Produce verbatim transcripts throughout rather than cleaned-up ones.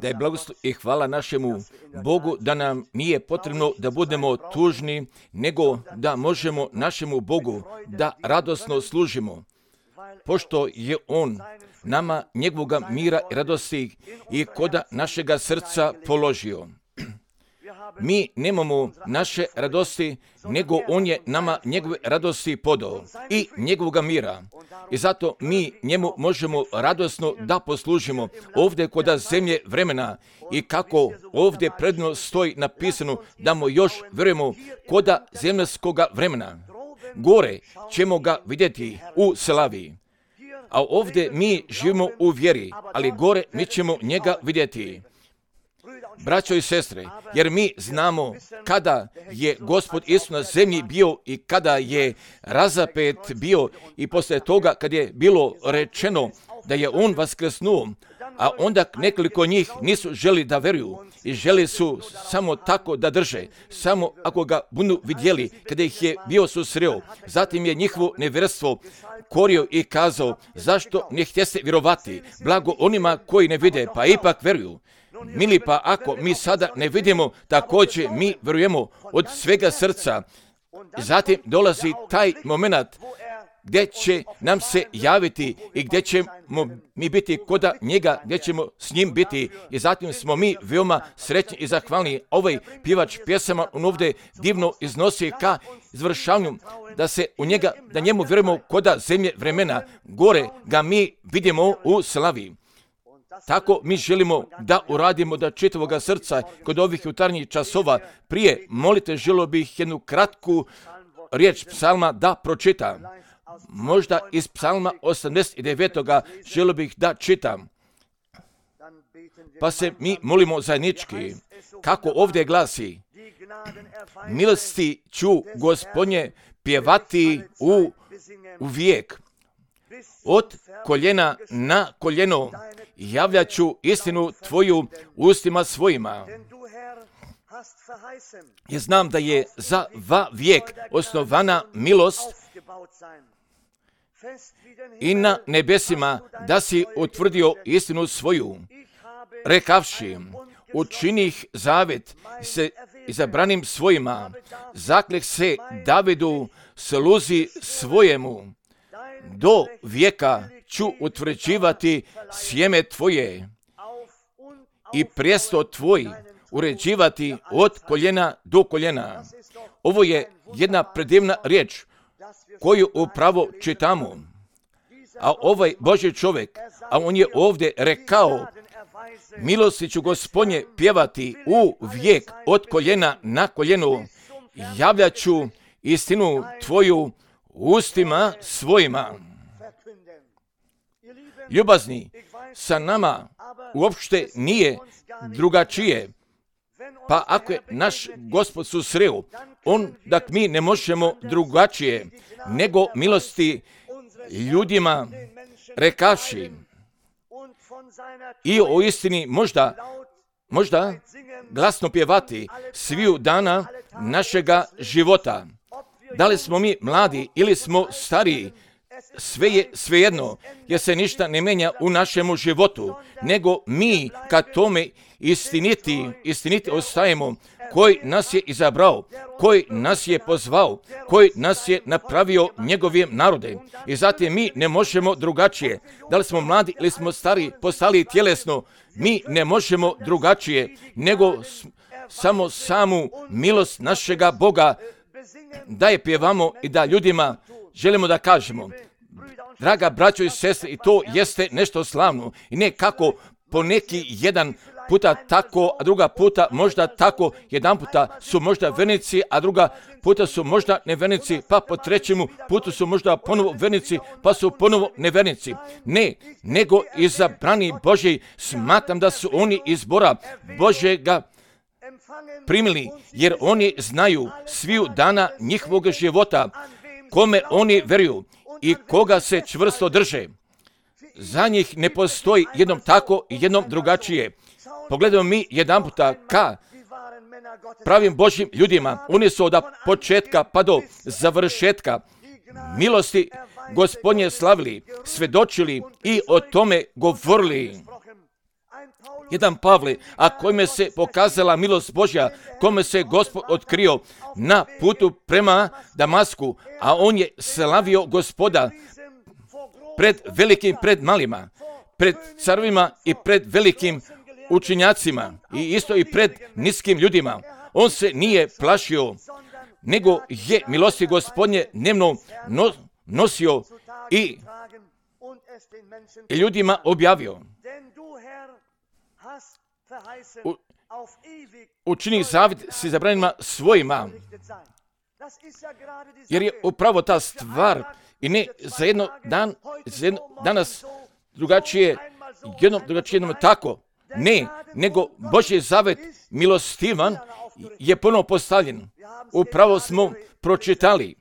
Da je blagoslov i hvala našemu Bogu da nam nije potrebno da budemo tužni, nego da možemo našemu Bogu da radosno služimo, pošto je On nama njegovoga mira i radosti i koda našega srca položio. Mi nemamo naše radosti, nego On je nama njegove radosti podao i njegovoga mira. I zato mi njemu možemo radosno da poslužimo ovdje koda zemlje vremena i kako ovdje predno stoji napisano da mu još vjerujemo koda zemaljskoga vremena. Gore ćemo ga vidjeti u slavi. A ovdje mi živimo u vjeri, ali gore mi ćemo njega vidjeti. Braćo i sestre, jer mi znamo kada je Gospod Isus na zemlji bio i kada je razapet bio i poslije toga kad je bilo rečeno da je On vaskrsnuo, a onda nekoliko njih nisu želi da veruju i želi su samo tako da drže, samo ako ga budu vidjeli kada ih je bio susreo. Zatim je njihovo nevjerstvo korio i kazao, zašto ne htjeste vjerovati, blago onima koji ne vide, pa ipak veruju. Mili, pa ako mi sada ne vidimo, također mi vjerujemo od svega srca. Zatim dolazi taj moment gdje će nam se javiti i gdje ćemo mi biti koda njega, gdje ćemo s njim biti. I zatim smo mi veoma srećni i zahvalni. Ovaj pjevač pjesama on ovdje divno iznosi ka izvršavanju da se u njega, da njemu vjerujemo koda zemlje vremena. Gore ga mi vidimo u slavi. Tako mi želimo da uradimo da čitavoga srca kod ovih jutarnjih časova. Prije molite, želio bih jednu kratku riječ psalma da pročitam. Možda iz psalma osamdeset devet. želio bih da čitam. Pa se mi molimo zajednički. Kako ovdje glasi, milosti ću Gospodnje pjevati u, u vijek. Od koljena na koljeno javljat ću istinu Tvoju ustima svojima. Ja znam da je za va vijek osnovana milost i na nebesima da si utvrdio istinu svoju. Rekavši, učinih zavet se izabranim svojima, zakleh se Davidu sluzi svojemu. Do vijeka ću utvrđivati sjeme Tvoje i prijesto Tvoj uređivati od koljena do koljena. Ovo je jedna predivna riječ koju upravo čitamo. A ovaj Božji čovjek, a on je ovdje rekao, milosti ću Gospodnje pjevati u vijek od koljena na koljenu, javljat ću istinu Tvoju ustima svojima. Ljubazni, sa nama uopšte nije drugačije. Pa ako je naš Gospod susreo, on da mi ne možemo drugačije nego milosti ljudima rekavši. I o istini možda, možda glasno pjevati sviju dana našega života. Da li smo mi mladi ili smo stariji, sve je svejedno, jer se ništa ne menja u našemu životu, nego mi kad tome istiniti, istiniti ostajemo, koji nas je izabrao, koji nas je pozvao, koji nas je napravio njegovim narodem. I zatim mi ne možemo drugačije. Da li smo mladi ili smo stari, postali tjelesno, mi ne možemo drugačije, nego samo samu milost našega Boga da je pjevamo i da ljudima želimo da kažemo. Draga braćo i sestre, i to jeste nešto slavno. I ne kako po neki jedan puta tako, a druga puta možda tako, jedan puta su možda vernici, a druga puta su možda nevernici, pa po trećemu putu su možda ponovo vernici, pa su ponovo nevernici. Ne, nego izabrani Božji, smatram da su oni izbora Božjega primili, jer oni znaju sviju dana njihovog života, kome oni vjeruju i koga se čvrsto drže. Za njih ne postoji jednom tako i jednom drugačije. Pogledamo mi jedan puta ka pravim Božjim ljudima. Oni su od početka pa do završetka milosti Gospodnje slavili, svedočili i o tome govorili. Jedan Pavle, a kome se pokazala milost Božja, kome se Gospod otkrio na putu prema Damasku, a on je slavio Gospoda pred velikim, pred malima, pred carovima i pred velikim učenjacima i isto i pred niskim ljudima. On se nije plašio, nego je milosti Gospodnje dnevno no, nosio i, i ljudima objavio. U, učini zavjet si zabranima svojima, jer je upravo ta stvar i ne za jedno dan, za jedno, danas drugačije, jednom drugačije jednom tako, ne, nego Božji zavjet milostivan je ponovo postavljen. Upravo smo pročitali.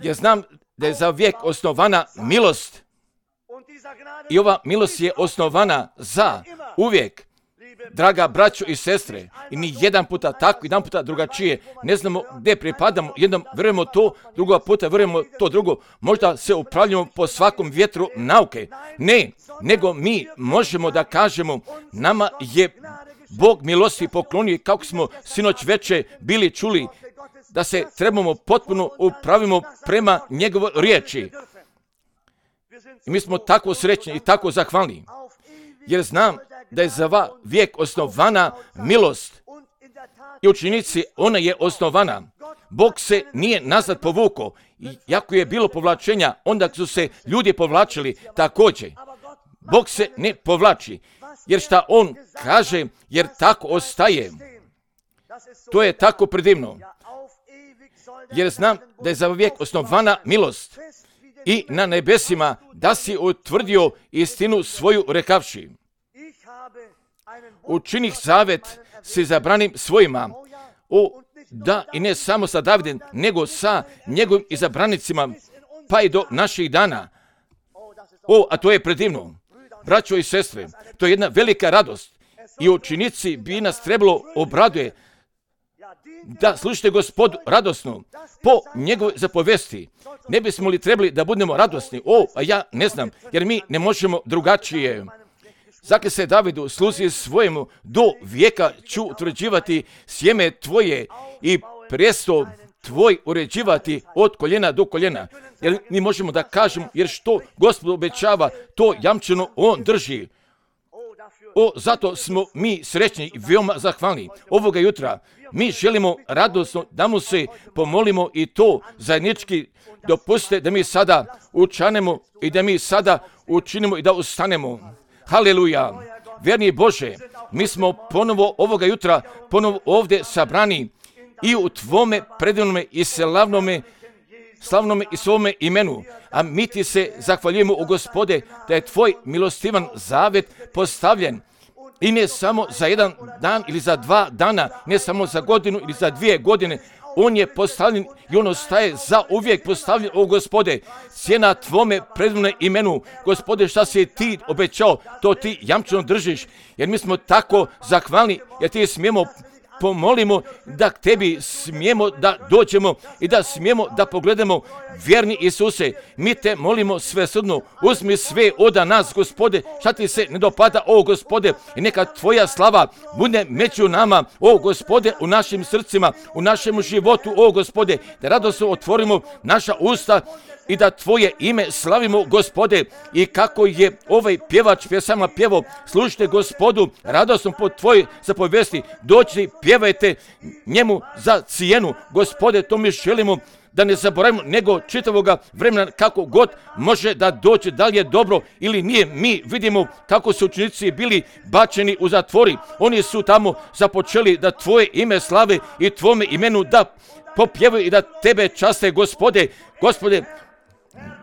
Ja znam da je za vijek osnovana milost i ova milost je osnovana za uvijek. Draga braćo i sestre, i ni jedan puta tako, jedan puta drugačije, ne znamo gdje pripadamo, jednom vjerujemo to, drugo puta vjerujemo to drugo, možda se upravljamo po svakom vjetru nauke. Ne, nego mi možemo da kažemo, nama je Bog milosti poklonio, kako smo sinoć veče bili čuli, da se trebamo potpuno upravimo prema njegovoj riječi. I mi smo tako srećni i tako zahvalni, jer znam da je za va vijek osnovana milost i učenici ona je osnovana. Bog se nije nazad povukao, iako je bilo povlačenja, onda su se ljudi povlačili također. Bog se ne povlači, jer šta on kaže, jer tako ostaje. To je tako predivno, jer znam da je za vijek osnovana milost i na nebesima da si utvrdio istinu svoju rekavši. Učinih zavjet si zabranim svojima, o, da i ne samo sa Davidem, nego sa njegovim izabranicima, pa i do naših dana. O, a to je predivno. Braćo i sestre, to je jedna velika radost i učenici bi nas trebalo obraduje da slušate Gospodu radosno po njegovoj zapovesti. Ne bismo li trebali da budemo radosni? O, a ja ne znam, jer mi ne možemo drugačije. Zakle se Davidu, sluzi svojemu, do vijeka ću utvrđivati sjeme tvoje i prijesto tvoj uređivati od koljena do koljena. Jer mi možemo da kažemo, jer što Gospod obećava, to jamčeno on drži. O, zato smo mi srećni i veoma zahvalni. Ovoga jutra mi želimo radosno da mu se pomolimo i to zajednički dopustite da mi sada učanemo i da mi sada učinimo i da ustanemo. Haleluja! Vjerni Bože, mi smo ponovo ovoga jutra ponovo ovdje sabrani i u tvome predivnome i slavnome, slavnome i svome imenu. A mi ti se zahvaljujemo, o Gospode, da je tvoj milostivan zavjet postavljen. I ne samo za jedan dan ili za dva dana, ne samo za godinu ili za dvije godine. On je postavljen i on ostaje za uvijek postavljen, o Gospode. Cijena tvome predivnome imenu. Gospode, šta si ti obećao, to ti jamčeno držiš. Jer mi smo tako zahvalni, jer ti smijemo pomolimo da k tebi smijemo da dođemo i da smijemo da pogledamo. Vjerni Isuse, mi te molimo svesrdno, uzmi sve od nas, Gospode, šta ti se ne dopada, o Gospode, i neka tvoja slava bude među nama, o Gospode, u našim srcima, u našem životu, o Gospode, da radosno otvorimo naša usta i da tvoje ime slavimo, Gospode. I kako je ovaj pjevač pjesama pjevo, slušajte Gospodu radosno po tvojoj zapovesti, doći pjevajte njemu za cijenu, Gospode, to mi želimo da ne zaboravimo, nego čitavoga vremena kako god može da dođe, da li je dobro ili nije. Mi vidimo kako su učenici bili bačeni u zatvori. Oni su tamo započeli da tvoje ime slave i tvome imenu da popjevaju i da tebe časte, Gospode. Gospode,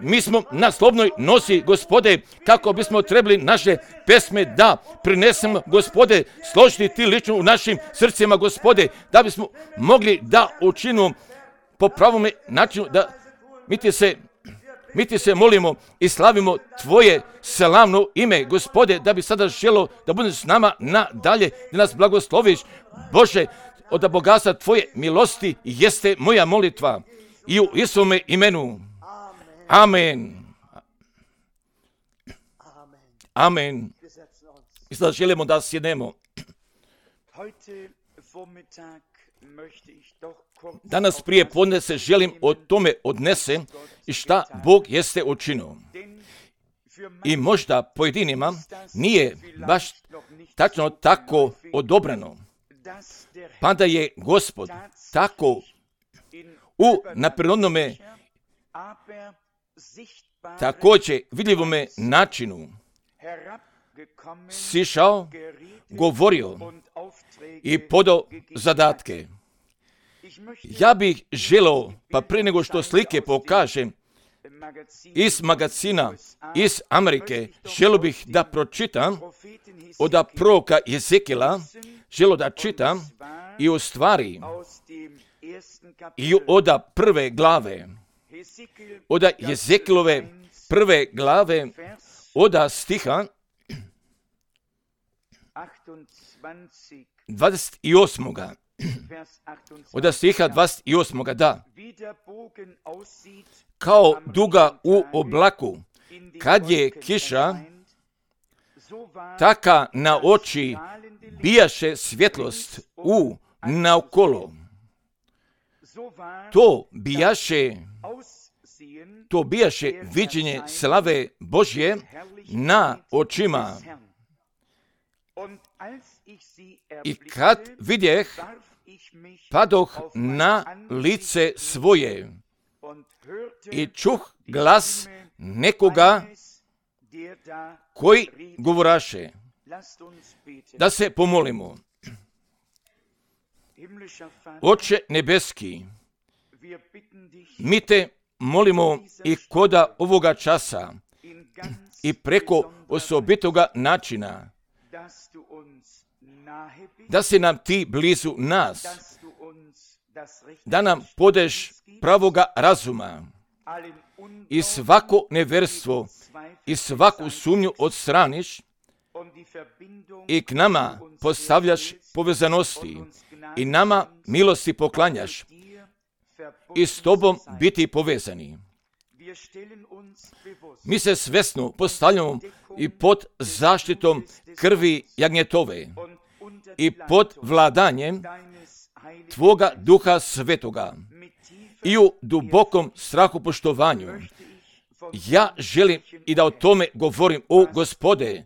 mi smo na slobodnoj nosi, Gospode, kako bismo trebali naše pesme da prinesemo, Gospode, složiti ti lično u našim srcima, Gospode, da bismo mogli da učinimo po pravome načinu, da mi ti se, mi ti se molimo i slavimo tvoje slavno ime, Gospode, da bi sada želo da budeš s nama nadalje, da nas blagosloviš, Bože, od bogatstva tvoje milosti jeste moja molitva i u Isuvome imenu. Amen. Amen. I sada želimo da sjednemo. Danas prije podne se želim o tome odnese i šta Bog jeste učinio. I možda pojedinima nije baš tačno tako odobrano, pa da je Gospod tako u naprednome također vidljivome načinu sišao, govorio i podao zadatke. Ja bih želeo, pa prije nego što slike pokažem, iz magazina iz Amerike, želio bih da pročitam od proroka Jezekila, želio da čitam i u stvari i od prve glave, od Jezekilove prve glave, od stiha dvadeset osam. Od stiha dvadeset osam. Da. Kao duga u oblaku, kad je kiša, taka na oči bijaše svjetlost u naokolo. To bijaše, to bijaše viđenje slave Božje na očima. I kad vidjeh, padoh na lice svoje i čuh glas nekoga koji govoraše. Da se pomolimo. Oče nebeski, mi te molimo i koda ovoga časa i preko osobitoga načina, da si nam ti blizu nas, da nam podeš pravoga razuma i svako neverstvo i svaku sumnju odstraniš i k nama postavljaš povezanosti i nama milosti poklanjaš i s tobom biti povezani. Mi se svesno postavljamo i pod zaštitom krvi jagnjetove i pod vladanjem Tvoga Duha Svetoga i u dubokom strahu poštovanju. Ja želim i da o tome govorim, o Gospode,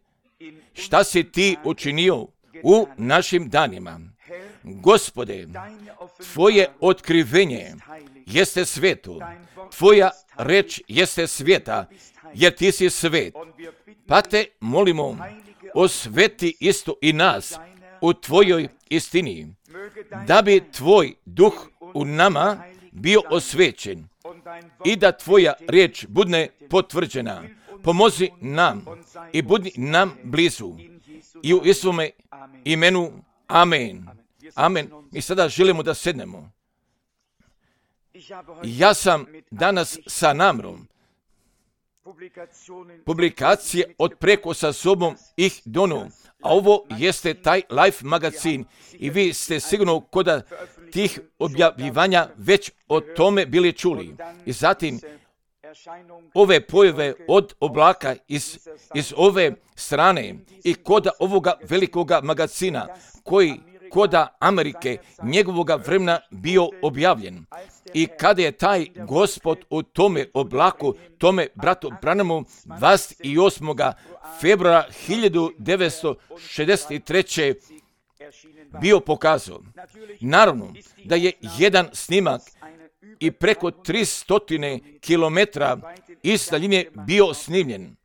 šta si ti učinio u našim danima. Gospode, Tvoje otkrivenje jeste sveto, Tvoja reč jeste sveta, jer ti si svet. Pa te molimo, osveti isto i nas u Tvojoj istini, da bi Tvoj duh u nama bio osvećen i da Tvoja riječ bude potvrđena. Pomozi nam i budi nam blizu. I u Isuvome imenu, amen. Amen. Mi sada želimo da sednemo. Ja sam danas sa namrom publikacije od preko sa sobom ih dono, a ovo jeste taj Life magazin i vi ste sigurno kod tih objavljivanja već o tome bili čuli. I zatim ove pojave od oblaka iz, iz ove strane i kod ovoga velikoga magazina koji kod Amerike njegovoga vremena bio objavljen. I kada je taj Gospod u tome oblaku, tome bratu Branhamu dvadeset osmog februara hiljadu devetsto šezdeset treće bio pokazao. Naravno da je jedan snimak i preko tristo kilometara iz daljine bio snimljen.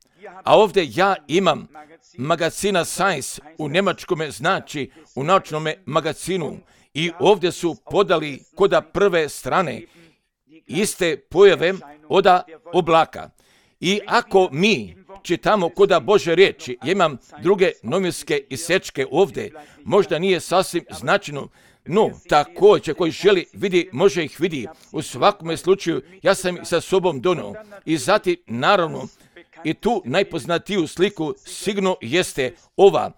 A ovdje ja imam magazina Science u njemačkome, znači u naučnom magazinu, i ovdje su podali koda prve strane iste pojave od oblaka. I ako mi čitamo koda Bože riječi, ja imam druge novinske isečke ovdje, možda nije sasvim značajno, no također koji želi vidi, može ih vidi. U svakome slučaju ja sam ih sa sobom donio. I zatim naravno i tu najpoznatiju sliku sigurno jeste ova,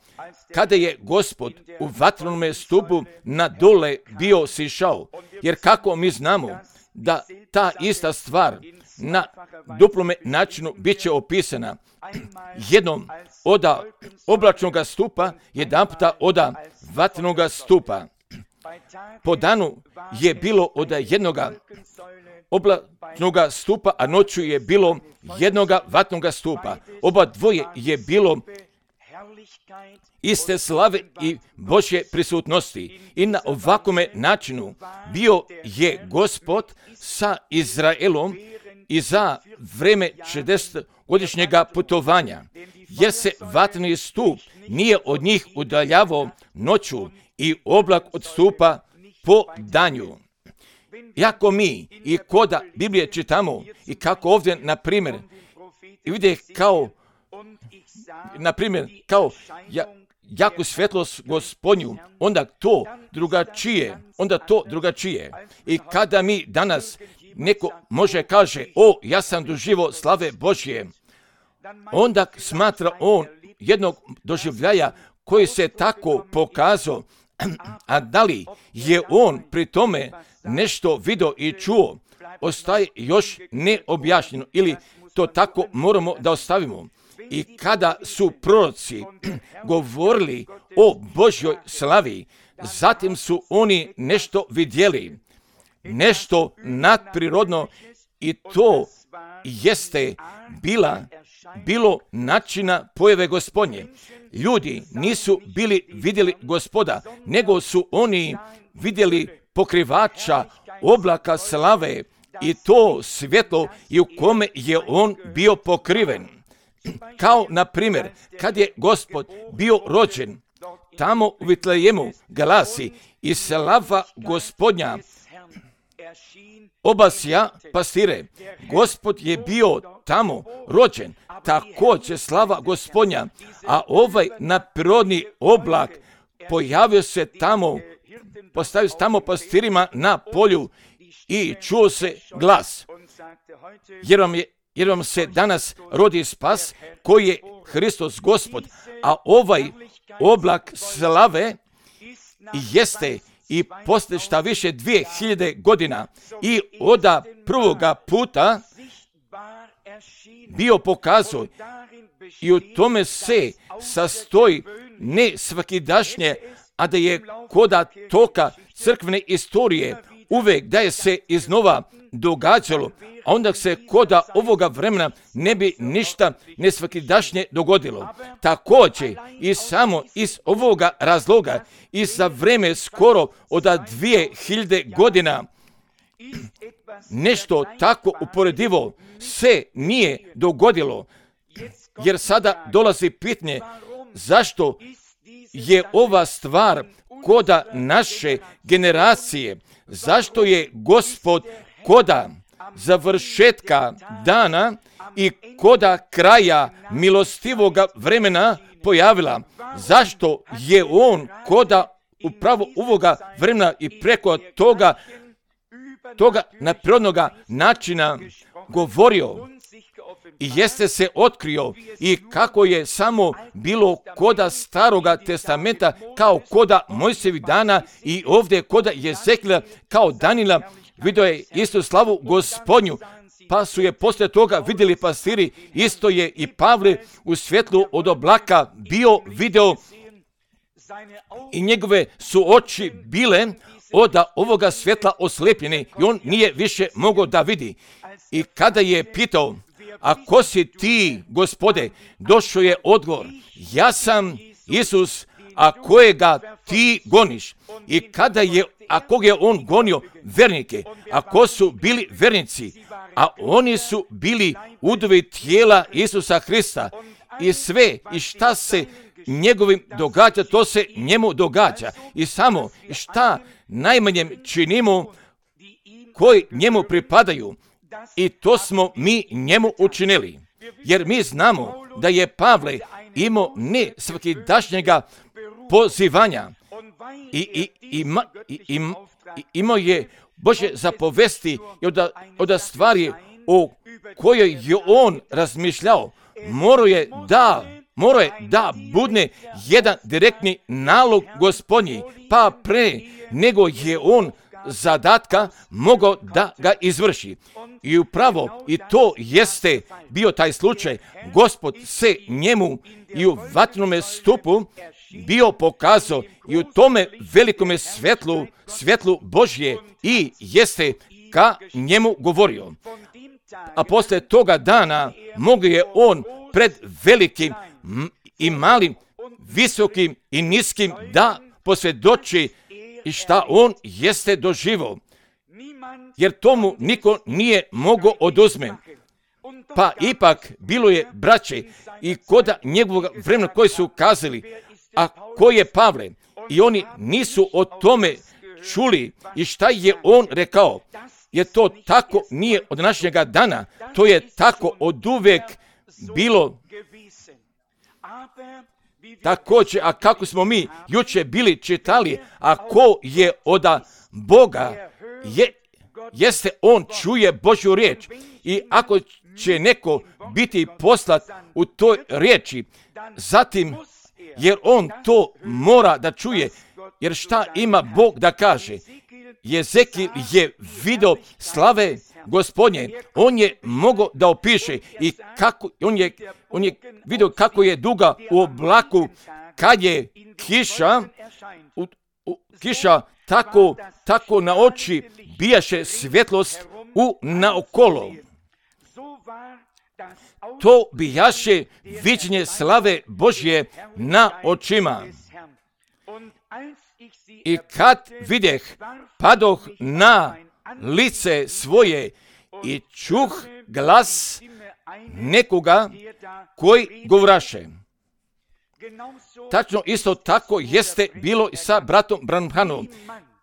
kada je Gospod u vatrenome stupu na dole bio sišao. Jer kako mi znamo, da ta ista stvar na duplome načinu bit će opisana. Jednom oda oblačnog stupa, jedan puta oda vatrenog stupa. Po danu je bilo oda jednoga oblačnog stupa, a noću je bilo jednoga vatrenog stupa. Oba dvoje je bilo iste slave i Božje prisutnosti. I na ovakome načinu bio je Gospod sa Izraelom i za vreme šezdesetogodišnjega putovanja, jer se vatreni stup nije od njih udaljavao noću i oblak od stupa po danju. Iako mi i koda Biblije čitamo i kako ovdje, na primjer, vide kao, na primjer, kao ja, jaku svjetlost Gospodnju, onda to drugačije, onda to drugačije. I kada mi danas neko može kaže, o, ja sam doživio slave Božje, onda smatra on jednog doživljaja koji se tako pokazao, a da li je on pri tome nešto vidio i čuo, ostaje još neobjašnjeno, ili to tako moramo da ostavimo. I kada su proroci govorili o Božjoj slavi, zatim su oni nešto vidjeli, nešto nadprirodno, i to jeste bila, bilo načina pojave Gospodnje. Ljudi nisu bili vidjeli Gospoda, nego su oni vidjeli pokrivača oblaka slave i to svjetlo i u kome je on bio pokriven. Kao, na primjer, kad je Gospod bio rođen, tamo u Vitlejemu glasi, i slava Gospodnja obasja pastire. Gospod je bio tamo rođen, također slava Gospodnja, a ovaj nadprirodni oblak pojavio se tamo, postavio se tamo pastirima na polju i čuo se glas. Jer vam, je, jer vam se danas rodi spas koji je Hristos Gospod, a ovaj oblak slave jeste i posle šta više dvije hiljade godina i oda prvoga puta bio pokazao, i u tome se sastoji ne svakidašnje, a da je koda toka crkvene istorije uvek da je se iznova događalo, a onda se koda ovoga vremena ne bi ništa nesvakidašnje dogodilo. Također i samo iz ovoga razloga i za vreme skoro od dvije hiljade godina nešto tako uporedivo se nije dogodilo, jer sada dolazi pitanje zašto je ova stvar koda naše generacije, zašto je Gospod koda završetka dana i koda kraja milostivoga vremena pojavila. Zašto je on koda upravo ovoga vremena i preko toga toga nadprirodnoga načina govorio i jeste se otkrio, i kako je samo bilo koda Staroga testamenta, kao koda Mojsijevih dana, i ovdje koda Jezekila, kao Danila, vidio je istu slavu Gospodnju, pa su je poslije toga vidjeli pastiri, isto je i Pavle u svjetlu od oblaka bio video, i njegove su oči bile od ovoga svjetla oslepljene i on nije više mogao da vidi. I kada je pitao, a ko si ti, Gospode, došao je odgovor, ja sam Isus, a kojega ti goniš. I kada je, a koga je on gonio? Vernike. A ko su bili vernici? A oni su bili udovi tijela Isusa Hrista. I sve, i šta se njegovim događa, to se njemu događa. I samo šta najmanjem činimo koji njemu pripadaju. I to smo mi njemu učinili. Jer mi znamo da je Pavle imao ne svakidašnjega pozivanja. I, i, ima, i, im, i imao je Božje zapovesti i od, od stvari o kojoj je on razmišljao. Morao je da, morao je da budne jedan direktni nalog Gospodnji, pa pre nego je on zadatka mogao da ga izvrši. I upravo i to jeste bio taj slučaj. Gospod se njemu i u vatrenome stupu bio pokazao i u tome velikome svetlu, svetlu Božje i jeste ka njemu govorio. A posle toga dana mogu je on pred velikim i malim, visokim i niskim da posvjedoči i šta on jeste doživao. Jer tomu niko nije mogao oduzme. Pa ipak bilo je braće i koda njegovog vremena koji su kazali, a ko je Pavle? I oni nisu o tome čuli i šta je on rekao. Jer to tako nije od današnjega dana, to je tako od uvek bilo. Također, a kako smo mi juče bili čitali, a ko je od Boga, je, jeste on čuje Božju riječ. I ako će neko biti poslat u toj riječi, zatim, jer on to mora da čuje, jer šta ima Bog da kaže? Jezekil je video slave Gospodnje, on je mogao da opiše i kako, on je, on je video kako je duga u oblaku, kad je kiša, u, u, kiša tako, tako na oči bijaše svjetlost u naokolo. To bijaše viđenje slave Božje na očima. I kad videh, padoh na lice svoje i čuh glas nekoga koji govraše. Tačno isto tako jeste bilo i sa bratom Branhamom.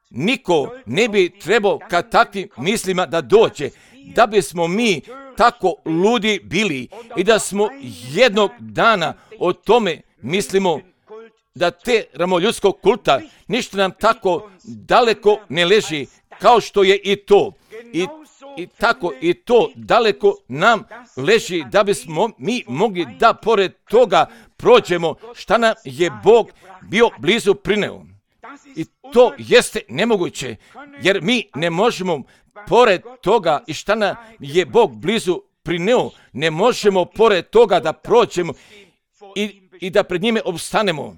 Niko ne bi trebao ka takvim mislima da dođe, da bismo mi tako ludi bili i da smo jednog dana o tome mislimo, da te ramoljudskog kulta ništa nam tako daleko ne leži kao što je i to. I, i tako i to daleko nam leži da bismo mi mogli da pored toga prođemo šta nam je Bog bio blizu prineo. I to jeste nemoguće, jer mi ne možemo pored toga i šta nam je Bog blizu prineo, ne možemo pored toga da prođemo i, i da pred njime obstanemo.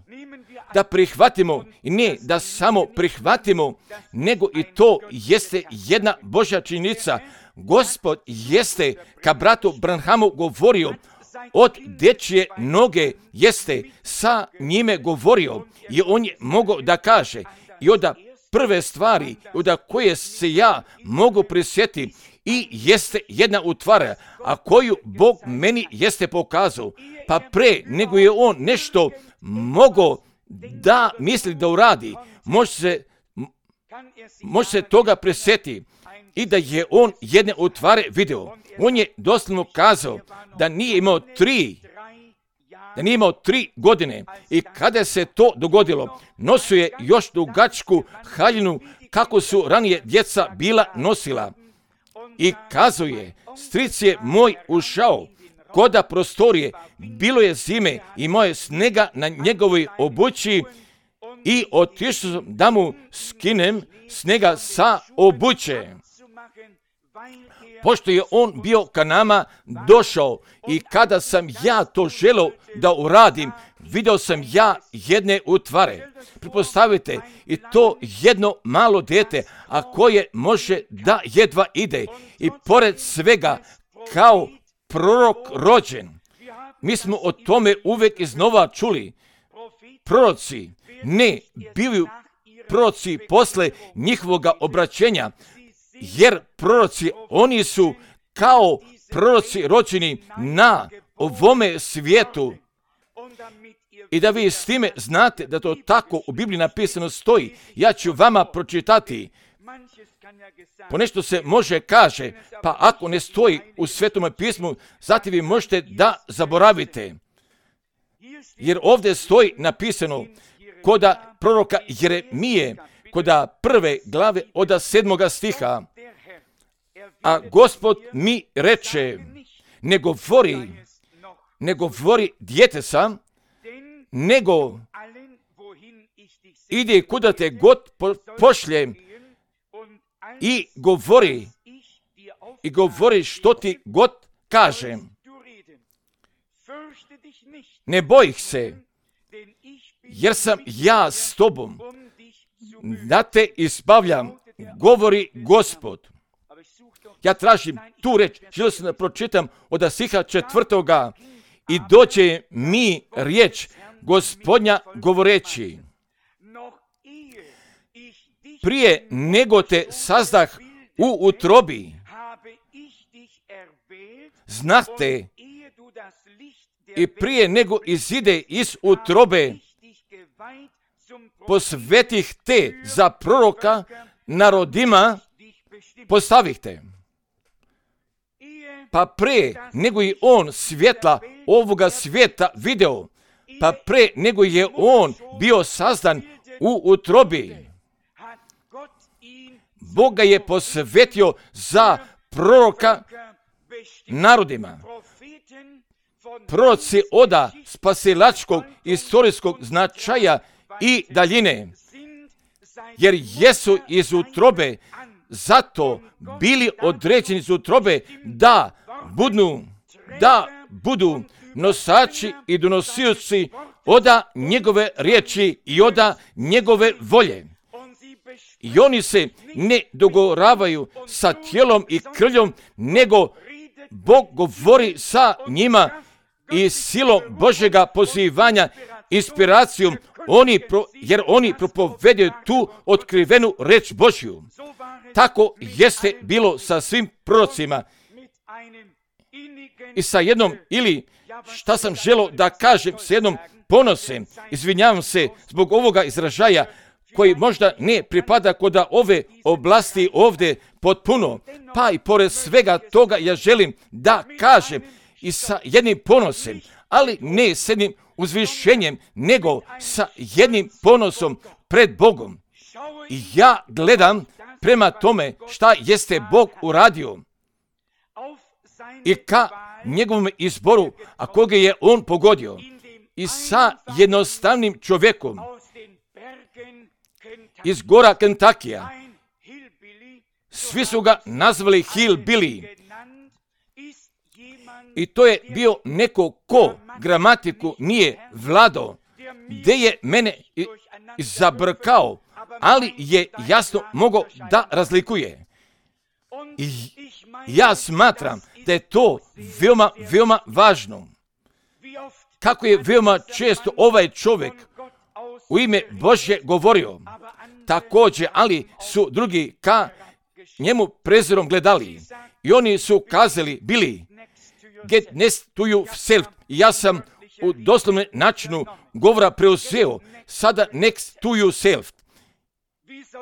Da prihvatimo, i ne da samo prihvatimo, nego i to jeste jedna Božja činjenica. Gospod jeste ka bratu Branhamu govorio, od dečje noge jeste sa njime govorio i on je mogao da kaže i od prve stvari od koje se ja mogu prisjetiti i jeste jedna utvara, a koju Bog meni jeste pokazao, pa pre nego je on nešto mogao da misli da uradi, može se, može se toga presjeti i da je on jedne utvare video. On je doslovno kazao da nije imao tri, da nije imao tri godine i kada se to dogodilo, nosio je još dugačku haljinu kako su ranije djeca bila nosila. I kazao je, stric je moj ušao koda prostorije, bilo je zime, imao je snega na njegovoj obući i otišao sam da mu skinem snega sa obuće. Pošto je on bio ka nama došao i kada sam ja to želeo da uradim, video sam ja jedne utvare. Pretpostavite, i to jedno malo dete, a koje može da jedva ide i pored svega kao prorok rođen. Mi smo o tome uvek iznova čuli. Proroci ne bili proroci posle njihovoga obraćenja, jer proroci, oni su kao proroci rođeni na ovome svijetu. I da vi s time znate da to tako u Bibliji napisano stoji, ja ću vama pročitati. Ponešto se može kaže, pa ako ne stoji u Svetome pismu, zatim vi možete da zaboravite. Jer ovdje stoji napisano koda proroka Jeremije, koda prve glave od sedmoga stiha. A Gospod mi reče, ne govori, ne govori djete sam, nego ide kuda te god po, pošljem i govori, i govori što ti god kažem. Ne boj se, jer sam ja s tobom, da te izbavljam, govori Gospod. Ja tražim tu reč, želio sam da pročitam od stiha četvrtoga, i dođe mi riječ Gospodnja govoreći, prije nego te sazdah u utrobi, znate, i prije nego izide iz utrobe, posvetih te za proroka narodima, postavih te. Pa pre nego je on svjetla ovoga svijeta video, pa pre nego je on bio sazdan u utrobi, Bog ga je posvetio za proroka narodima. Proroci oda spasilačkog istorijskog značaja i daljine, jer jesu iz utrobe zato bili određeni iz utrobe da budu, da budu nosači i donosioci oda njegove riječi i oda njegove volje. I oni se ne dogoravaju sa tijelom i krvljom, nego Bog govori sa njima i silom Božjega pozivanja, inspiracijom, oni pro, jer oni propovedaju tu otkrivenu reč Božju. Tako jeste bilo sa svim prorocima. I sa jednom, ili šta sam želio da kažem, sa jednom ponosem, izvinjavam se zbog ovoga izražaja, koji možda ne pripada kod ove oblasti ovdje potpuno, pa i pored svega toga ja želim da kažem i sa jednim ponosem, ali ne s jednim uzvišenjem, nego sa jednim ponosom pred Bogom. I ja gledam prema tome šta jeste Bog uradio i ka njegovom izboru, a koga je on pogodio, i sa jednostavnim čovjekom iz gora Kentakija. Svi su ga nazvali Hillbilly. I to je bio neko ko gramatiku nije vladao, gdje je mene zabrkao, ali je jasno mogao da razlikuje. I ja smatram da je to veoma, veoma važno. Kako je veoma često ovaj čovjek u ime Božje govorio, također, ali su drugi ka njemu prezirom gledali. I oni su kazali, bili, get next to yourself. I ja sam u doslovnom načinu govora preuzeo, sada next to yourself.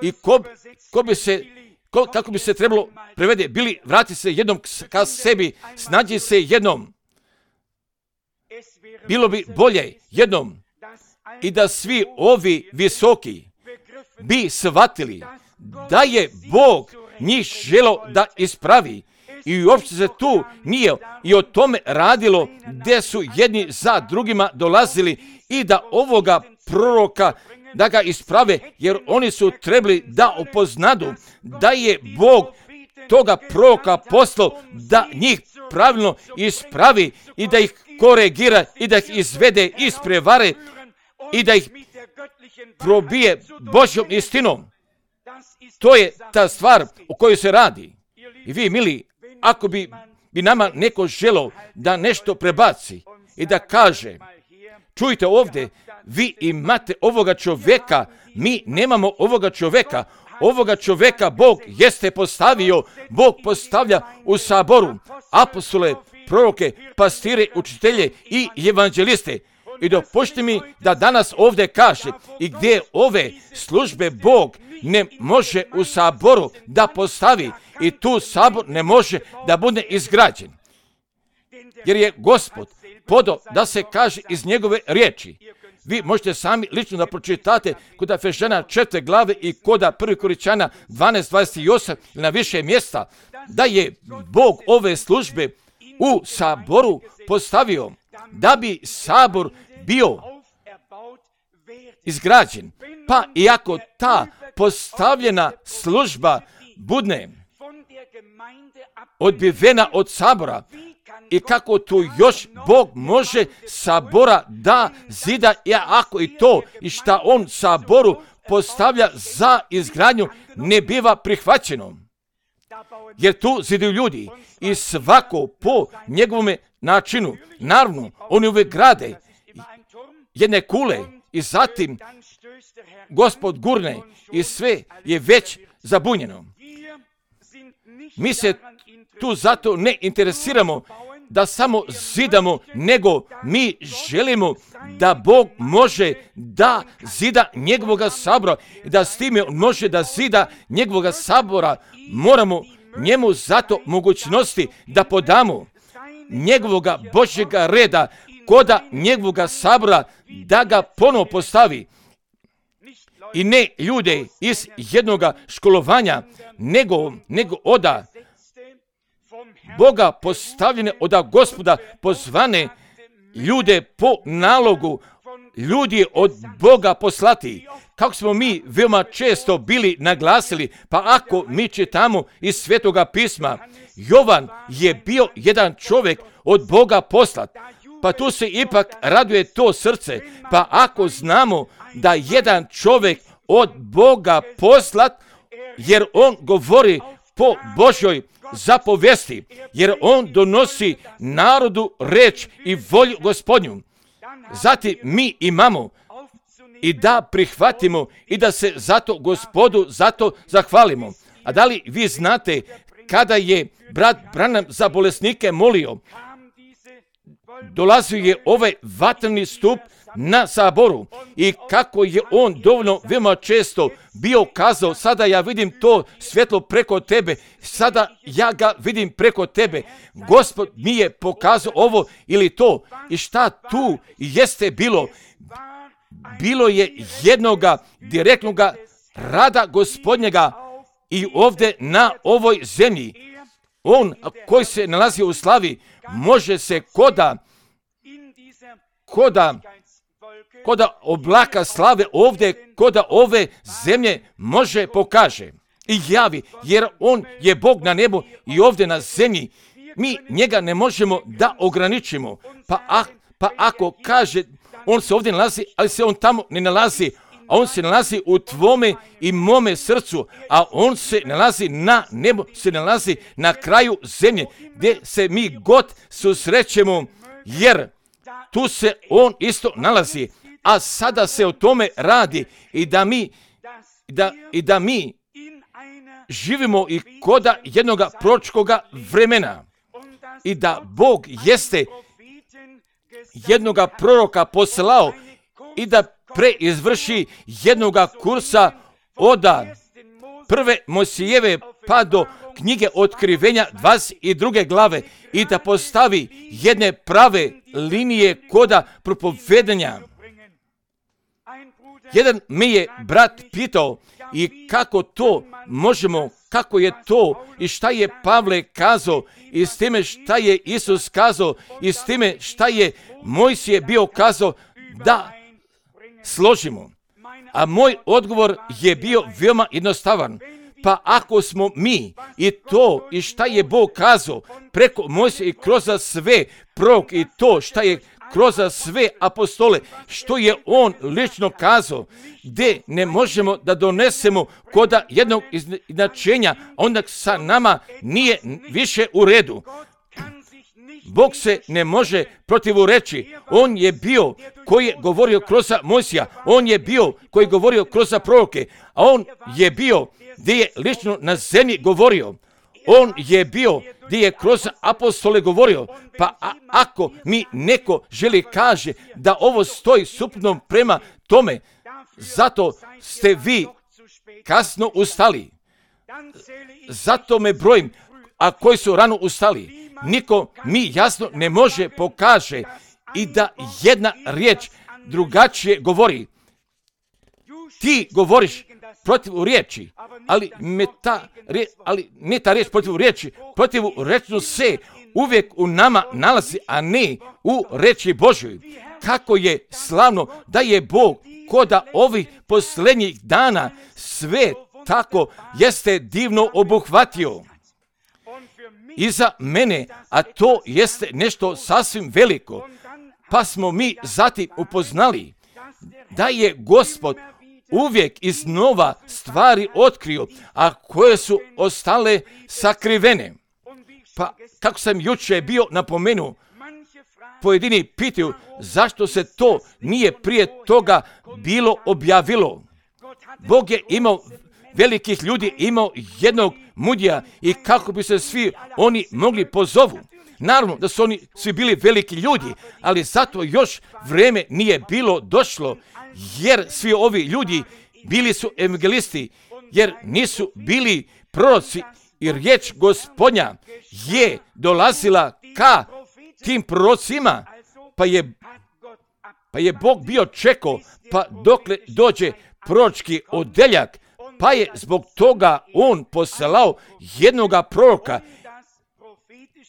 I ko, ko bi se, ko, kako bi se trebalo prevede, bili, vrati se jednom ka sebi, snađi se jednom. Bilo bi bolje jednom i da svi ovi visoki bi shvatili da je Bog njih želio da ispravi. I uopće se tu nije i o tome radilo, gdje su jedni za drugima dolazili i da ovoga proroka da ga isprave, jer oni su trebali da upoznadu da je Bog toga proroka poslao da njih pravilno ispravi i da ih koregira i da ih izvede iz prevare i da ih probije Božjom istinom. To je ta stvar o kojoj se radi. I vi, mili, ako bi, bi nama neko želeo da nešto prebaci i da kaže, čujte ovdje, vi imate ovoga čovjeka, mi nemamo ovoga čovjeka, ovoga čovjeka Bog jeste postavio, Bog postavlja u saboru apostole, proroke, pastire, učitelje i evanđeliste. I dopušti mi da danas ovdje kaže i gdje ove službe Bog ne može u saboru da postavi i tu sabor ne može da bude izgrađen. Jer je Gospod podao da se kaže iz njegove riječi. Vi možete sami lično da pročitate kod Efežana četvrte glave i kod prvi Korinćana dvanaest dvadeset osam ili na više mjesta, da je Bog ove službe u saboru postavio da bi sabor bio izgrađen. Pa iako ta postavljena služba budne odbivena od sabora. I kako tu još Bog može sabora da zida, ja ako i to i šta on saboru postavlja za izgradnju ne biva prihvaćeno. Jer tu zidaju ljudi i svako po njegovome načinu. Naravno, oni uvijek grade jedne kule i zatim Gospod gurne i sve je već zabunjeno. Mi se tu zato ne interesiramo da samo zidamo, nego mi želimo da Bog može da zida njegovoga sabora, da s time može da zida njegovoga sabora. Moramo njemu zato mogućnosti da podamo njegovoga Božjega reda koda njegovoga sabora, da ga ponovo postavi. I ne ljude iz jednoga školovanja, nego, nego oda Boga postavljene, oda Gospoda pozvane ljude po nalogu, ljudi od Boga poslati. Kako smo mi veoma često bili naglasili, pa ako mi čitamo iz Svetoga pisma, Jovan je bio jedan čovjek od Boga poslat, pa tu se ipak raduje to srce, pa ako znamo da jedan čovjek od Boga poslat, jer on govori po Božjoj zapovesti, jer on donosi narodu reč i volju Gospodnju. Zatim mi imamo i da prihvatimo i da se zato Gospodu zato zahvalimo. A da li vi znate kada je brat Branham za bolesnike molio, dolazio je ovaj vatreni stup na saboru i kako je on dovoljno veoma često bio kazao, sada ja vidim to svjetlo preko tebe, sada ja ga vidim preko tebe. Gospod mi je pokazao ovo ili to. I šta tu jeste bilo? Bilo je jednoga direktnoga rada Gospodnjega i ovdje na ovoj zemlji. On koji se nalazi u slavi može se koda koda koda oblaka slave ovdje, koda ove zemlje može pokaže i javi, jer on je Bog na nebu i ovdje na zemlji. Mi njega ne možemo da ograničimo. Pa, a, pa ako kaže, on se ovdje nalazi, ali se on tamo ne nalazi, a on se nalazi u tvome i mome srcu, a on se nalazi na nebu, se nalazi na kraju zemlje, gdje se mi god susrećemo, jer tu se on isto nalazi. A sada se o tome radi i da mi, da, i da mi živimo i koda jednoga proročkoga vremena i da Bog jeste jednoga proroka poslao i da preizvrši jednoga kursa od prve Mojsijeve pa do knjige Otkrivenja dvadeset druge glave i da postavi jedne prave linije koda propovedanja. Jedan me je brat pitao i kako to možemo, kako je to i šta je Pavle kazao i s time šta je Isus kazao i s time šta je Mojsije bio kazao da složimo. A moj odgovor je bio veoma jednostavan. Pa ako smo mi i to i šta je Bog kazao preko Mojsije i kroz sve prorok i to šta je kroz sve apostole, što je on lično kazao, gdje ne možemo da donesemo koda jednog izjednačenja, onda sa nama nije više u redu. Bog se ne može protivureći. On je bio koji je govorio kroz Mojsija, on je bio koji je govorio kroz proroke, a on je bio gdje je lično na zemlji govorio. On je bio gdje je kroz apostole govorio. Pa a, ako mi neko želi kaže da ovo stoji suprotno prema tome, zato ste vi kasno ustali. Zato me brojim, a koji su rano ustali. Niko mi jasno ne može pokaže i da jedna riječ drugačije govori. Ti govoriš protiv riječi, ali, me ta, ali ne ta riječ protiv riječi, protiv rečno se uvijek u nama nalazi, a ne u reči Božjoj. Kako je slavno da je Bog koda ovih posljednjih dana sve tako jeste divno obuhvatio i za mene, a to jeste nešto sasvim veliko. Pa smo mi zatim upoznali da je Gospod uvijek iznova stvari otkrio, a koje su ostale sakrivene. Pa kako sam jučer bio napomenuo, pojedini pitaju zašto se to nije prije toga bilo objavilo. Bog je imao velikih ljudi, imao jednog mudija i kako bi se svi oni mogli pozovu. Naravno da su oni svi bili veliki ljudi, ali zato još vrijeme nije bilo došlo, jer svi ovi ljudi bili su evangelisti, jer nisu bili proroci i riječ Gospodnja je dolazila ka tim prorocima, pa je, pa je Bog bio čekao, pa dokle dođe proročki odeljak, pa je zbog toga on poslao jednoga proroka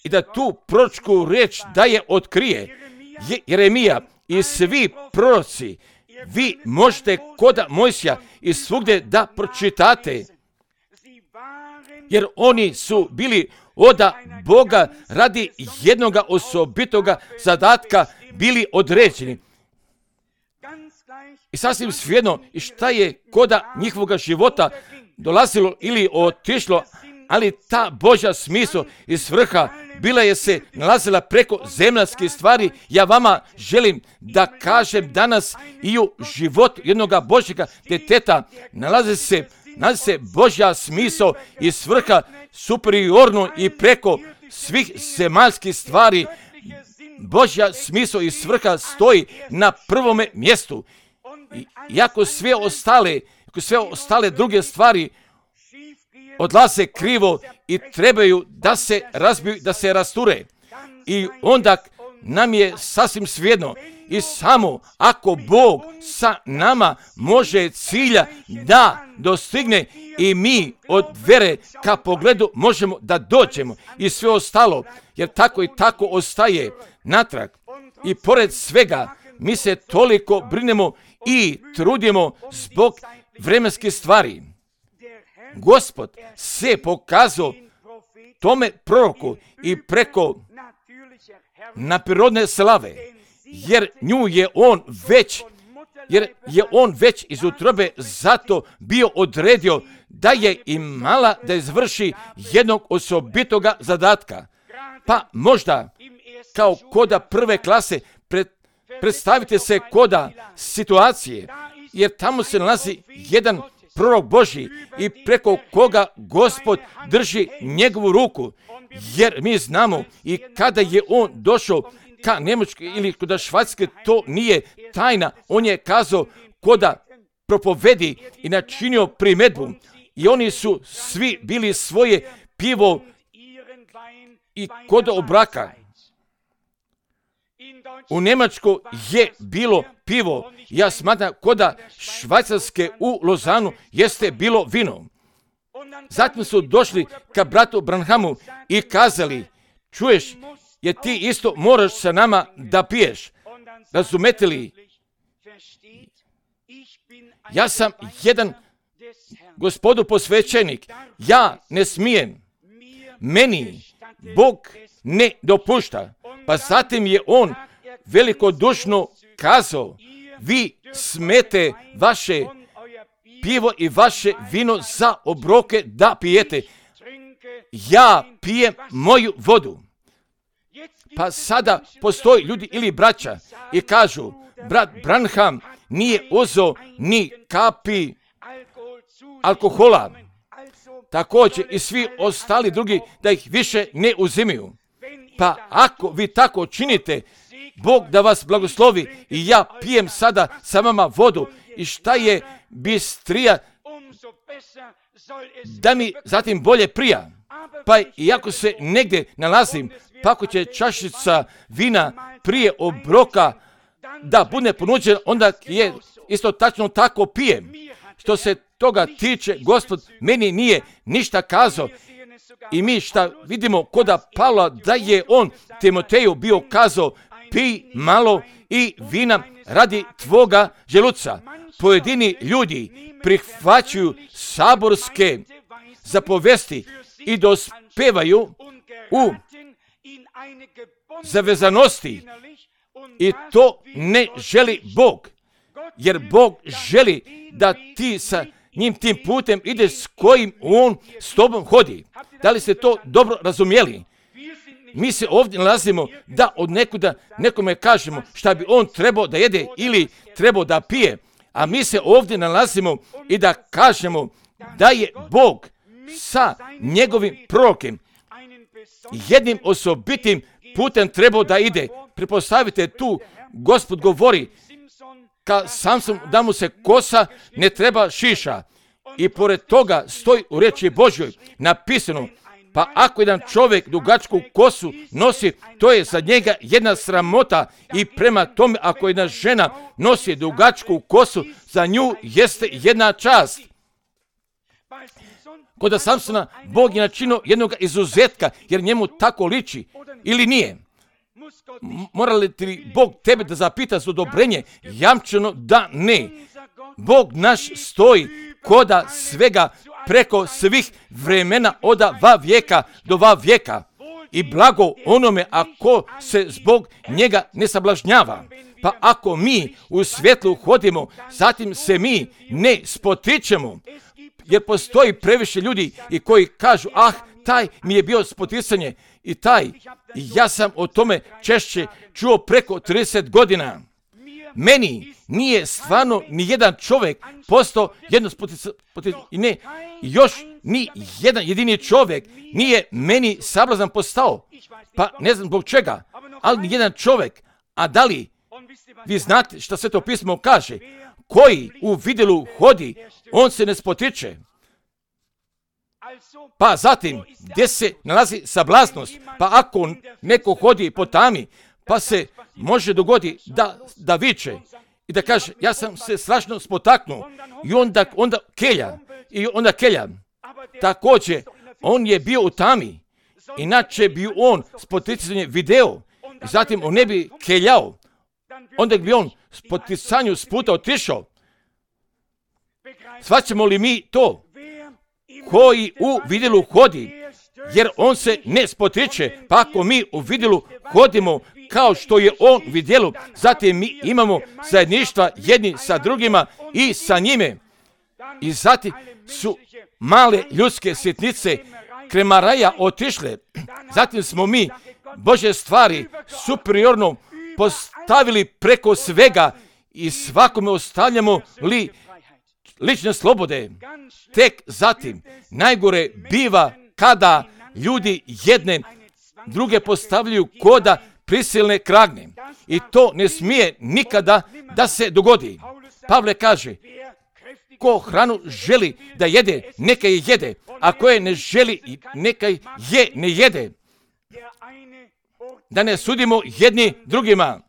i da tu proročku riječ da je otkrije. Je, Jeremija i svi proroci, vi možete koda Mojsija i svugdje da pročitate, jer oni su bili oda Boga radi jednoga osobitoga zadatka bili određeni. I sasvim svejedno i šta je koda njihovoga života dolazilo ili otišlo, ali ta Božja smisao i svrha bila je se nalazila preko zemaljskih stvari. Ja vama želim da kažem danas i u životu jednoga Božjega djeteta nalazi se, nalazi se Božja smisao i svrha superiorno i preko svih zemaljskih stvari. Božja smisao i svrha stoji na prvome mjestu. I iako sve ostale, ako sve ostale druge stvari odlaze krivo i trebaju da se razbiju, da se rasture. I onda nam je sasvim svejedno i samo ako Bog sa nama može cilja da dostigne i mi od vere ka pogledu možemo da dođemo i sve ostalo, jer tako i tako ostaje natrag. I pored svega mi se toliko brinemo i trudimo zbog vremenskih stvari. Gospod se pokazao tome proroku i preko naprirodne slave, jer nju je on već, jer je on već iz utrobe zato bio odredio da je imala da izvrši jednog osobitoga zadatka. Pa možda kao koda prve klase pred, predstavite se koda situacije, jer tamo se nalazi jedan prorok Božji i preko koga Gospod drži njegovu ruku, jer mi znamo i kada je on došao ka Njemačkoj ili koda Švajcarske, to nije tajna, on je kazao koda propovedi i načinio primedbu i oni su svi bili svoje pivo i koda obraka. U Njemačkoj je bilo pivo, ja smatram koda Švajcarske u Lozanu jeste bilo vino. Zatim su došli ka bratu Branhamu i kazali, čuješ, jer ti isto moraš sa nama da piješ. Razumete li? Ja sam jedan Gospodu posvećenik, ja ne smijem, meni Bog ne dopušta. Pa zatim je on velikodušno kazao, vi smete vaše pivo i vaše vino za obroke da pijete. Ja pijem moju vodu. Pa sada postoji ljudi ili braća i kažu, brat Branham nije uzeo ni kapi alkohola. Također i svi ostali drugi da ih više ne uzimaju. Pa ako vi tako činite, Bog da vas blagoslovi i ja pijem sada sa vama vodu i šta je bistrija da mi zatim bolje prija. Pa iako se negdje nalazim, pa ako će čašica vina prije obroka da bude ponuđen, onda je isto tačno tako pijem. Što se toga tiče, Gospod meni nije ništa kazao. I mi šta vidimo koda Pavla da je on Timoteju bio kazao, pij malo i vina radi tvoga želuca. Pojedini ljudi prihvaćaju saborske zapovesti i dospevaju u zavezanosti i to ne želi Bog, jer Bog želi da ti sa njim tim putem ideš s kojim On s tobom hodi. Da li ste to dobro razumjeli? Mi se ovdje nalazimo da od nekuda nekome kažemo šta bi on trebao da jede ili trebao da pije, a mi se ovdje nalazimo i da kažemo da je Bog sa njegovim prorokem jednim osobitim putem trebao da ide. Pretpostavite tu, Gospod govori ka Samson da mu se kosa ne treba šiša. I pored toga stoji u riječi Božjoj napisano, pa ako jedan čovjek dugačku kosu nosi, to je za njega jedna sramota, i prema tome ako jedna žena nosi dugačku kosu, za nju jeste jedna čast. Kod Samsona Bog je načinio jednog izuzetka, jer njemu tako liči, ili nije? Mora li ti Bog tebe da zapita za odobrenje? Jamčeno da ne. Bog naš stoji koda svega preko svih vremena od va vijeka do va vijeka. I blago onome ako se zbog njega ne sablažnjava. Pa ako mi u svjetlu hodimo, zatim se mi ne spotičemo. Jer postoji previše ljudi i koji kažu, ah, taj mi je bio spoticanje i taj. I ja sam o tome češće čuo preko trideset godina. Meni nije stvarno ni jedan čovjek postao jedno spoticanje. I ne, još ni jedan jedini čovjek nije meni sablazan postao. Pa ne znam zbog čega, ali ni jedan čovjek. A da li vi znate što Sveto pismo kaže? Koji u vidjelu hodi, on se ne spotiče. Pa zatim, gdje se nalazi sablaznost? Pa ako neko hodi po tami, pa se može dogoditi da, da viče i da kaže, ja sam se strašno spotaknuo, i onda, onda kelja, i onda kelja. Također, on je bio u tami, inače bi on spoticanje video, i zatim on ne bi keljao, onda bi on spoticanju s puta otišao. Shvaćamo li mi to? Koji u vidjelu hodi, jer on se ne spotiče, pa ako mi u vidjelu hodimo kao što je on u vidjelu, zatim mi imamo zajedništva jedni sa drugima i sa njime. I zatim su male ljudske sitnice kremaraja otišle. Zatim smo mi Božje stvari superiorno postavili preko svega i svakome ostavljamo li lične slobode. Tek zatim najgore biva kada ljudi jedne druge postavljaju koda prisilne kragne. I to ne smije nikada da se dogodi. Pavle kaže, ko hranu želi da jede, neka je jede, a ko je ne želi, neka je ne jede. Da ne sudimo jedni drugima.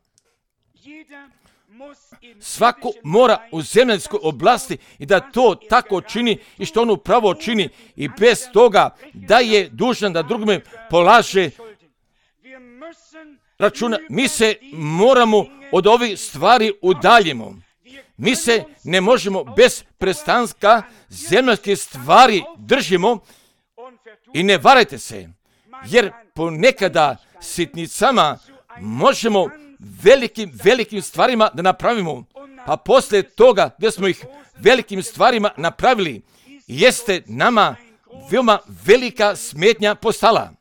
Svako mora u zemaljskoj oblasti i da to tako čini i što on upravo čini, i bez toga da je dužan da drugome polaže računa. Mi se moramo od ovih stvari udaljimo. Mi se ne možemo bez prestanka zemaljske stvari držimo, i ne varajte se, jer ponekada sitnicama možemo velikim, velikim stvarima da napravimo, pa poslije toga gdje smo ih velikim stvarima napravili, jeste nama veoma velika smetnja postala.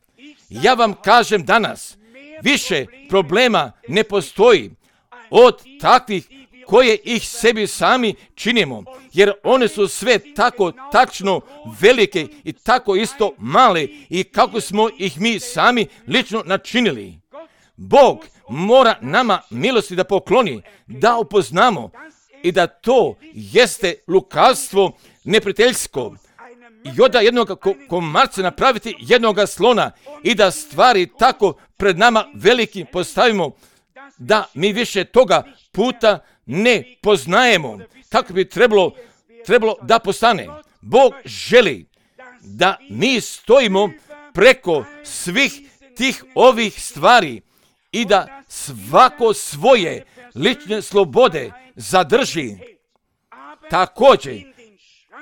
Ja vam kažem danas, više problema ne postoji od takvih koje ih sebi sami činimo, jer one su sve tako tačno velike i tako isto male, i kako smo ih mi sami lično načinili. Bog mora nama milosti da pokloni, da upoznamo i da to jeste lukavstvo neprijateljsko. I onda jednog komarca napraviti jednog slona i da stvari tako pred nama veliki postavimo, da mi više toga puta ne poznajemo kako bi trebalo, trebalo da postane. Bog želi da mi stojimo preko svih tih ovih stvari i da svako svoje lične slobode zadrži također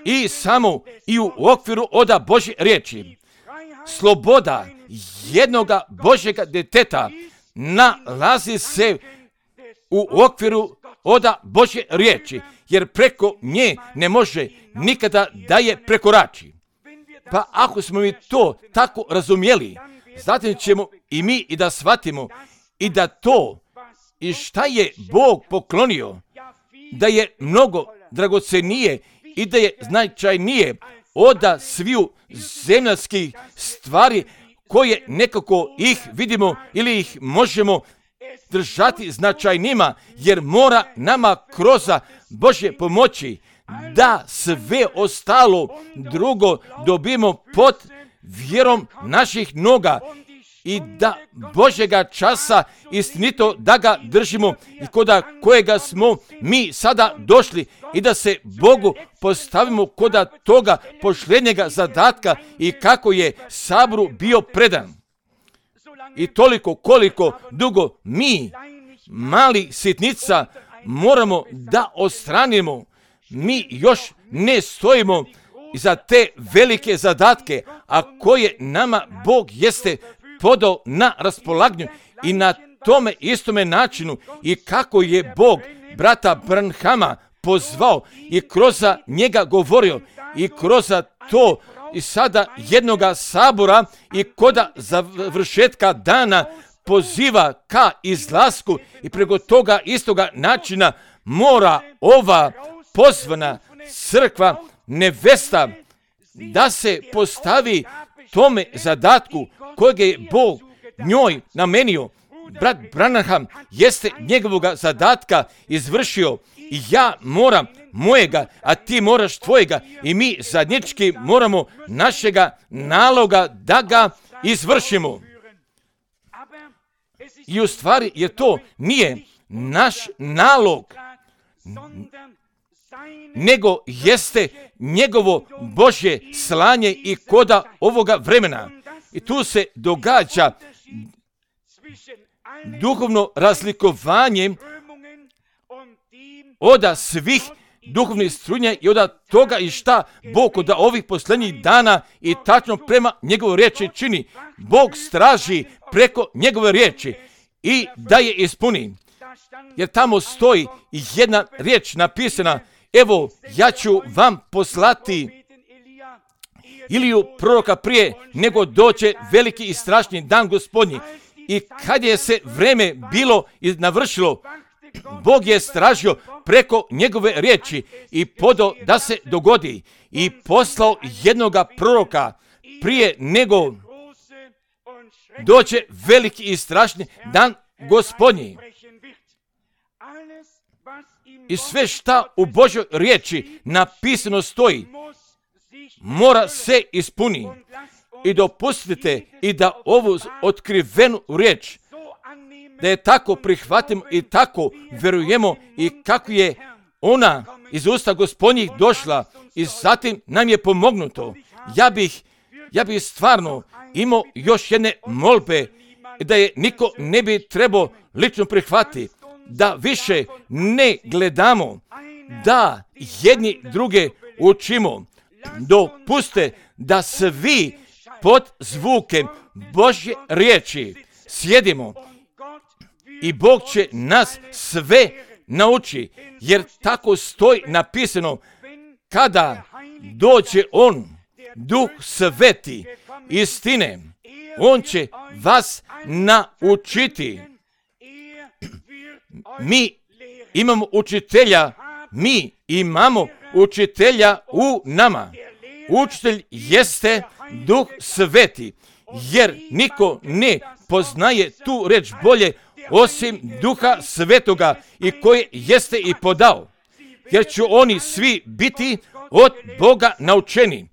i samo i u okviru oda Božje riječi. Sloboda jednoga Božjega djeteta nalazi se u okviru oda Božje riječi, jer preko nje ne može nikada da je prekorači. Pa ako smo mi to tako razumjeli, zatim ćemo i mi i da shvatimo i da to i šta je Bog poklonio, da je mnogo dragocenije i da je značajnije oda sviju zemljskih stvari koje nekako ih vidimo ili ih možemo držati značajnima, jer mora nama kroz Božje pomoći da sve ostalo drugo dobimo pod vjerom naših noga i da Božjega časa istinito da ga držimo i koda kojega smo mi sada došli i da se Bogu postavimo koda toga posljednjega zadatka i kako je saboru bio predan. I toliko koliko dugo mi, mali sitnica, moramo da ostranimo, mi još ne stojimo za te velike zadatke, a koje nama Bog jeste podao na raspolaganju i na tome istome načinu i kako je Bog brata Branhama pozvao i kroz njega govorio i kroz to i sada jednoga sabora i koda završetka dana poziva ka izlasku i preko toga istoga načina mora ova pozvana crkva nevesta da se postavi tome zadatku kojeg je Bog njoj namenio. Brat Branham jeste njegovoga zadatka izvršio i ja moram mojega, a ti moraš tvojega i mi zajednički moramo našega naloga da ga izvršimo. I u stvari je to nije naš nalog, nego jeste njegovo Božje slanje i koda ovoga vremena. I tu se događa duhovno razlikovanje oda svih duhovnih strunja i oda toga i šta Bog od ovih posljednjih dana i tačno prema njegovoj riječi čini. Bog straži preko njegove riječi i da je ispuni. Jer tamo stoji jedna riječ napisana, evo ja ću vam poslati Iliju proroka prije nego dođe veliki i strašni dan Gospodnji. I kad je se vreme bilo i navršilo, Bog je stražio preko njegove riječi i podao da se dogodi i poslao jednoga proroka prije nego dođe veliki i strašni dan Gospodnji. I sve šta u Božjoj riječi napisano stoji, mora se ispuni. I dopustite i da ovu otkrivenu riječ, da je tako prihvatimo i tako verujemo i kako je ona iz usta Gospodnjih došla i zatim nam je pomognuto. Ja bih, ja bih stvarno imao još jedne molbe da je niko ne bi trebao lično prihvatiti, da više ne gledamo, da jedni druge učimo. Dopuste da svi pod zvukem Božje riječi sjedimo i Bog će nas sve nauči, jer tako stoji napisano, kada dođe On, Duh Sveti istine, On će vas naučiti. Mi imamo učitelja, mi imamo učitelja u nama. Učitelj jeste Duh Sveti, jer niko ne poznaje tu reč bolje osim Duha Svetoga i koje jeste i podao, jer će oni svi biti od Boga naučeni.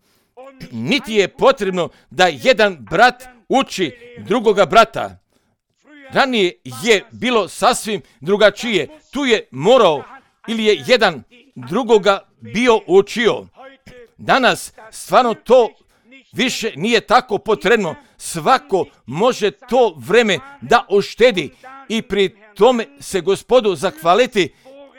Niti je potrebno da jedan brat uči drugoga brata. Ranije je bilo sasvim drugačije. Tu je morao ili je jedan drugoga bio učio. Danas stvarno to više nije tako potrebno. Svako može to vreme da uštedi i pri tome se Gospodu zahvaliti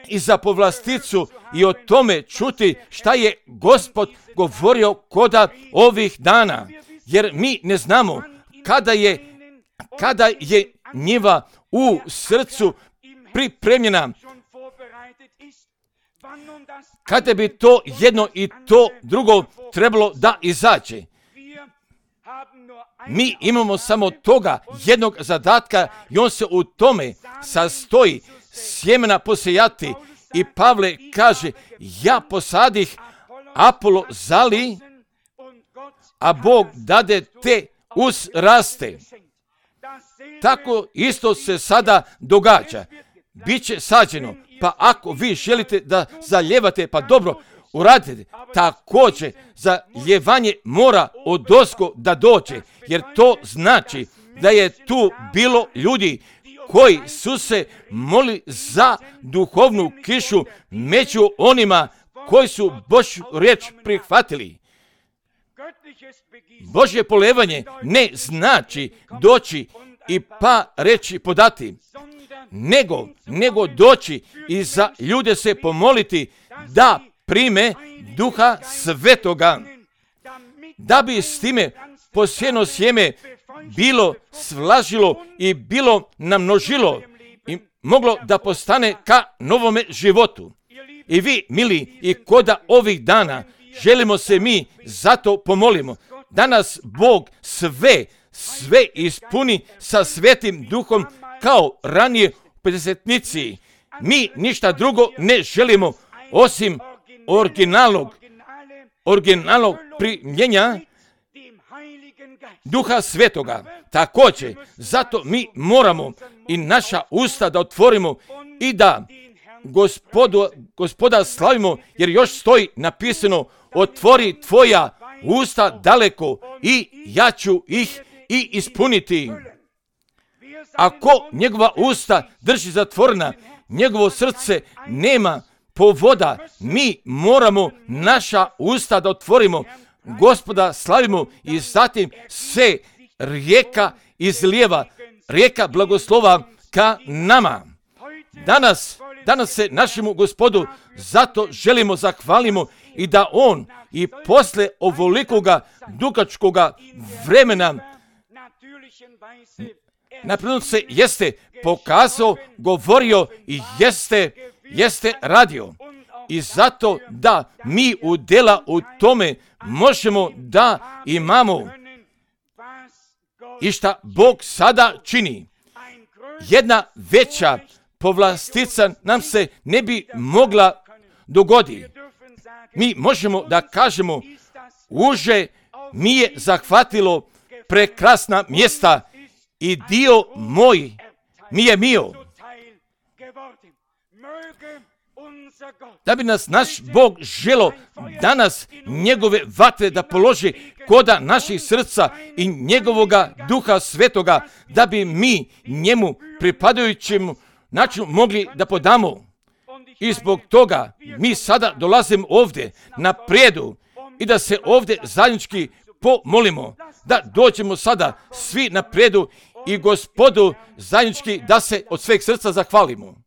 i za povlasticu i o tome čuti šta je Gospod govorio koda ovih dana. Jer mi ne znamo kada je, kada je njiva u srcu pripremljena, kada bi to jedno i to drugo trebalo da izađe. Mi imamo samo toga jednog zadatka i on se u tome sastoji sjemena posejati. I Pavle kaže, ja posadih, Apolo zali, a Bog dade te uzraste. Tako isto se sada događa. Biće sađeno, pa ako vi želite da zaljevate, pa dobro, uradite. Također, zaljevanje mora odozgo da dođe, jer to znači da je tu bilo ljudi koji su se molili za duhovnu kišu među onima koji su Božju riječ prihvatili. Božje polevanje ne znači doći i pa reći podati, nego, nego doći i za ljude se pomoliti da prime Duha Svetoga, da bi s time posijeno sjeme bilo svlažilo i bilo namnožilo i moglo da postane ka novome životu. I vi, mili, i koda ovih dana želimo se mi zato pomolimo. Danas Bog sve, sve ispuni sa Svetim Duhom kao ranije u pedesetnici. Mi ništa drugo ne želimo osim originalnog, originalnog primljenja Duha Svetoga. Također, zato mi moramo i naša usta da otvorimo i da gospodu, gospoda slavimo, jer još stoji napisano, otvori tvoja usta daleko i ja ću ih i ispuniti. Ako njegova usta drži zatvorena, njegovo srce nema povoda, mi moramo naša usta da otvorimo, Gospoda slavimo i zatim se rijeka izlijeva, rijeka blagoslova ka nama. Danas, danas se našemu Gospodu zato želimo zahvalimo i da on i posle ovolikoga dugačkoga vremena napredno se jeste pokazao, govorio i jeste, jeste radio. I zato da mi udjela u tome možemo da imamo i šta Bog sada čini. Jedna veća povlastica nam se ne bi mogla dogoditi. Mi možemo da kažemo, uže mi je zahvatilo prekrasna mjesta i dio moj mi je mio. Da bi nas naš Bog želo danas njegove vatre da položi koda naših srca i njegovoga Duha Svetoga, da bi mi njemu pripadajućem načinu mogli da podamo. I zbog toga mi sada dolazimo ovdje na prijedu i da se ovdje zajednički pomolimo, da dođemo sada svi na prijedu i Gospodu zajednički da se od sveg srca zahvalimo.